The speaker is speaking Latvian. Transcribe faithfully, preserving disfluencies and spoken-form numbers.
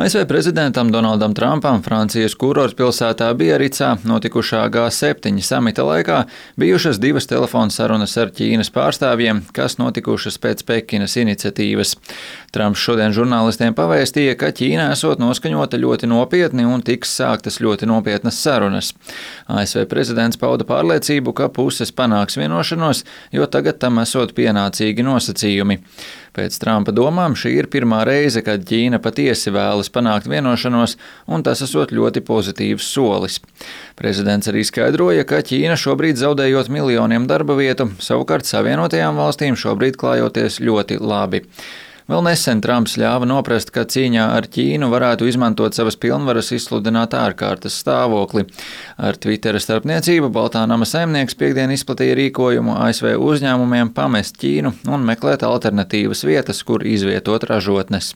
A S V prezidentam Donaldam Trumpam Francijas kurortpilsētā Biaricā notikušā G septiņi samita laikā bijušas divas telefona sarunas ar Ķīnas pārstāvjiem, kas notikušas pēc Pekinas iniciatīvas. Trumps šodien žurnālistiem pavēstīja, ka Ķīna esot noskaņota ļoti nopietni un tiks sāktas ļoti nopietnas sarunas. A S V prezidents pauda pārliecību, ka puses panāks vienošanos, jo tagad tam esot pienācīgi nosacījumi. Pēc Trumpa domām šī ir pirmā reize, kad Ķīna patiesi vēlas panākt vienošanos, un tas esot ļoti pozitīvs solis. Prezidents arī skaidroja, ka Ķīna šobrīd zaudējot miljoniem darba vietu, savukārt Savienotajām valstīm šobrīd klājoties ļoti labi. Vēl nesen Trumps ļāva noprast, ka cīņā ar Ķīnu varētu izmantot savas pilnvaras izsludināt ārkārtas stāvokli. Ar Twittera starpniecību Baltā nama saimnieks piektdien izplatīja rīkojumu A S V uzņēmumiem pamest Ķīnu un meklēt alternatīvas vietas, kur izvietot ražotnes.